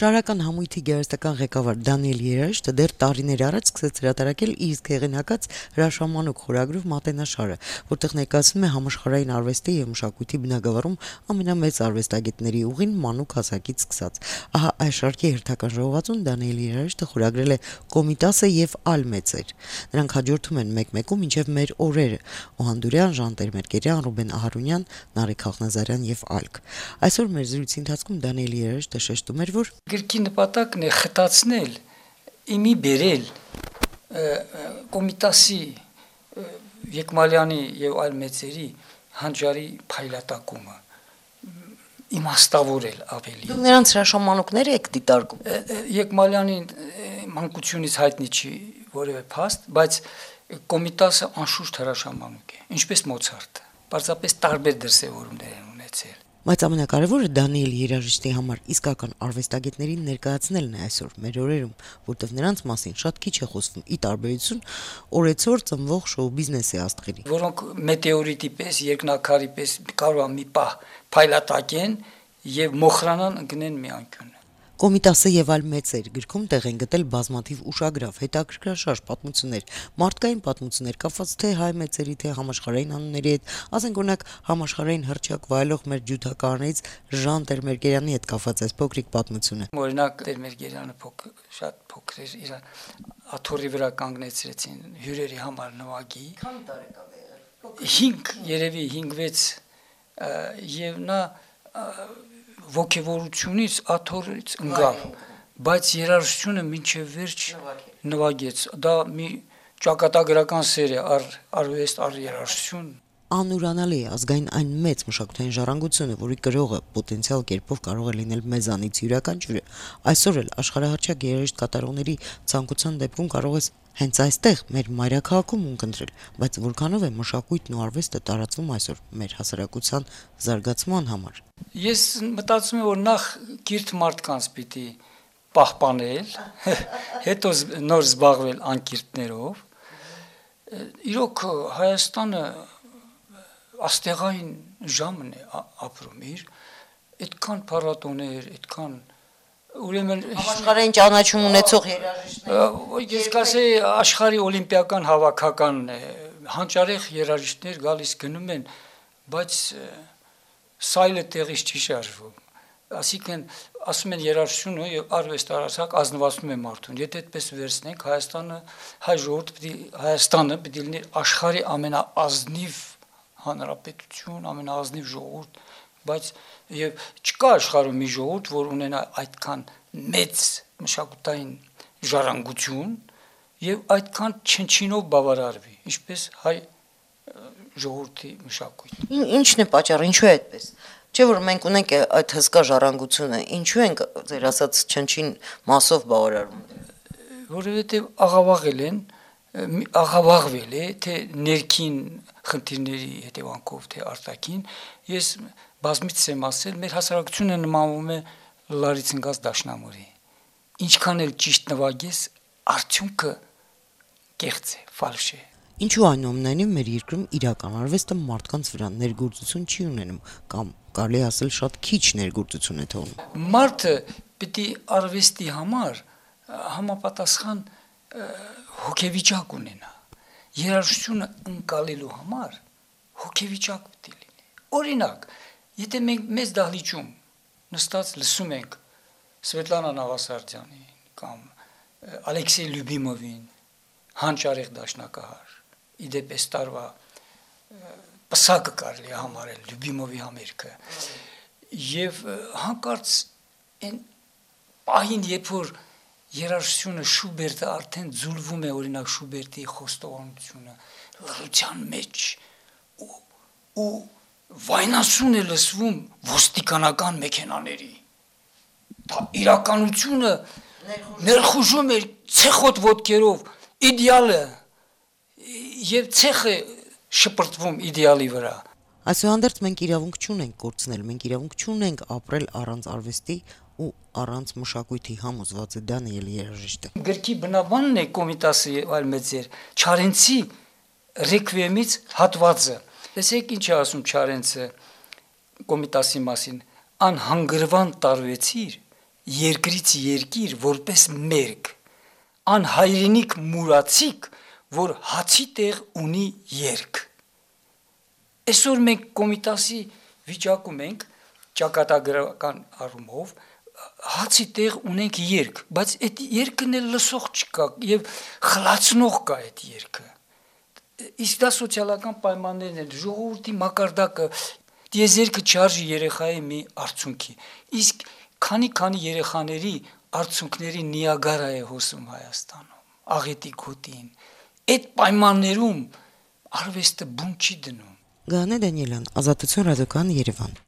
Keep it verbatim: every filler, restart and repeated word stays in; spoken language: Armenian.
Շարական համույթի գեղարվեստական ղեկավար Դանիել Երաշտը դեռ տարիներ առաջ սկսեց հրատարակել իր իսկ հեղինակած հրաշամանուկ խորագրով «Մատենաշարը», որտեղ ներկայացնում է համաշխարհային արվեստի եւ մշակույթի բնագավառում ամենամեծ արվեստագետների ուղին մանուկ հասակից սկսած։ Ահա այս շարքի հերթական ժողովածուն Դանիել Երաշտը խորագրել է «Կոմիտասը եւ այլ մեծեր»։ Նրանք հաջորդում են մեկ-մեկում մինչև մեր օրերը՝ Օհանդուրյան, Ժան Տեր-Մերկերյան, Ռուբեն Ահարոնյան, Նարեկ Խախնազարյան եւ այլք։ Այսօր մեր զրույցի ընթացքում Դանիել Երաշտը շեշտում էր, որ գրքի նպատակն է խտացնել, իմի բերել Կոմիտասի, Եկմալյանի եւ այլ մեծերի հանճարի փայլատակումը, իմաստավորել ավելի։ Դուք նրանց հրաշամանուկները եք դիտարկում։ Եկմալյանի մանկությունից հայտնի չի որևէ փաստ, բայց Կոմիտասը անշուշտ հրաշամանուկ է, ինչպես Մոցարտը, պարզապես տարբեր դրսևորումներ են ունեցել։ Բայց ամենակարևորը Դանիել Երաշտի համար իսկական արվեստագետներին ներկայացնելն է այսօր մեր օրերում, որտեղ նրանց մասին շատ քիչ է խոսվում՝ ի տարբերություն օրեցօր ծնվող շոու բիզնեսի աստղերի, որոնք մետեորիտի պես, երկնաքարի պես կարող է մի պահ փայլատակեն եւ մոխրանան ընկնեն մի անկյուն։ Կոմիտասը եւ այլ մեծեր գրքում տեղ են գտել բազմաթիվ ուշագրավ, հետաքրքրաշարժ պատմություններ, մարդկային պատմություններ կապված թե հայ մեծերի, թե համաշխարհային անունների հետ, ասենք օրինակ համաշխարհային հռչակ վայելող մեր ջութակարներից Ժան Տեր-Մերկերյանի հետ կապված այս փոքրիկ պատմությունը։ Օրինակ Տեր-Մերկերյանը փոքր, շատ փոքր էր, իր աթոռի վրա կանգնեցրեցին հյուրերի համար նվագի։ Քանի տարեկան է։ հինգ, երևի հինգ-վեց եւ նա ոգևորությունից աթոռից ընկավ, բայց երաժշտությունը մինչև վերջ նվագեց։ Դա մի ճակատագրական սեր է առ արվեստ, առ երաժշտություն։ Անուրանալի է ազգային այն մեծ մշակութային ժառանգությունը, որի կրողը պոտենցիալ կերպով կարող է լինել մեզանից յուրաքանչյուրը։ Այսօր էլ աշխարհահռչակ երաժիշտ կատարողների ցանկության դեպքում կարող ես հենց այստեղ մեր մայրաքաղաքում ունկնդրել, բայց որքանով է մշակույթն ու արվեստը տարածվում այսօր մեր հասարակության զարգացման համար։ Ես մտածում եմ, որ նախ կիրթ մարդկանց պիտի պահպանել, հետո նոր զբաղվել անկիրթներով։ Իրոք Հայաստանը աստեղային ժամն է ապրում իր, այդքան փառատոներ, այդքան ուրեմն Աշխարհային ճանաչում ունեցող երաժիշտներ։ Ես կասեի աշխարհի օլիմպիական հավաքականն է, հանճարեղ երաժիշտներ գալիս գնում են, բայց սայլը տեղից չի շարժվում։ Այսինքն ասում են երաժշտությունը եւ արվեստը արարsak ազնվացնում է մարդուն։ Եթե այդպես վերցնենք, Հայաստանը, հայ ժողովուրդը պիտի Հայաստանը պիտի լինի աշխարհի ամենաազնիվ հանրապետություն, ամենաազնիվ ժողովուրդ, բայց եւ չկա աշխարհում մի ժողովուրդ, որ ունենա այդքան մեծ մշակութային ժառանգություն եւ այդքան չնչինով բավարարվի, ինչպես հայ ժողովրդի մշակույթը։ Ինչն է պատճառը, ինչու է այդպես։ Չէ՞ որ մենք ունենք այդ հսկա ժառանգությունը, ինչու ենք ձեր ասած չնչին մասով բավարարում։ Որովհետեւ աղավաղել են, աղավաղվել է թե ներքին խնդիրների հետևանքով, թե արտաքին։ Ես բազմիցս եմ ասել, մեր հասարակությունը նմանվում է լարից ընկած դաշնամուրի։ Ինչքան էլ ճիշտ նվագես, արդյունքը կեղծ է, ֆալշ է։ Ինչու այնուամենայնիվ մեր երկրում իրական արվեստը մարդկանց վրա ներգործություն չի ունենում կամ կարելի ասել շատ քիչ ներգործություն է թողնում։ Մարդը պիտի արվեստի համար համապատասխան հոգեվիճակ ունենա։ Երաժշտությունը ընկալելու համար հոգեվիճակ պիտի լինի։ Օրինակ, եթե մենք մեծ դահլիճում նստած լսում ենք Սվետլանա Նավասարդյանին կամ Ալեքսեյ Լյուբիմովին, հանճարեղ դաշնակահար, իդեպ այս տարվա պսակը կարելի է համարել Լյուբիմովի համերգը, եւ հանկարծ այն պահին, երբ որ երաժշտությունը Շուբերտը արդեն ձուլվում է, օրինակ Շուբերտի խոստովանությունը լռության մեջ ու ու վայնասուն է լսվում ոստիկանական մեքենաների։ Դա իրականությունը ներխուժում է ցեխոտ ոտքերով իդեալը եւ ցեխը շպրտվում իդեալի վրա։ Այսուհանդերձ մենք իրավունք չունենք կորցնել, մենք իրավունք չունենք ապրել առանց արվեստի ու առանց մշակույթի, համոզված է Դանիել Երաշտը։ Գրքի բնաբանն է Կոմիտասի այլ մեծեր Չարենցի ռեկվիեմից հատվածը։ Տեսեք ինչ է ասում Չարենցը Կոմիտասի մասին. անհանգրվան տարվեցիր երկրից երկիր որպես մերկ, անհայրենիք մուրացիկ, որ հացի տեղ ունի երկ։ Այսօր մենք Կոմիտասի վիճակում ենք ճակատագրական առումով հացի տեղ ունենք երկ, բայց այդ երկն էլ լսող չկա եւ խլացնող կա այդ երկը։ Իսկ դա սոցիալական պայմաններն են, ժողովրդի մակարդակը, դիեզերքը չարժի երեխայի մի արցունքի։ Իսկ քանի-քանի երեխաների արցունքների Նիագարա է հոսում Հայաստանում, աղետի գոտին։ Այդ պայմաններում արվեստը բուն չի դնում։ Գանե Դանիելյան, Ազատություն ռադիոկայան, Երևան։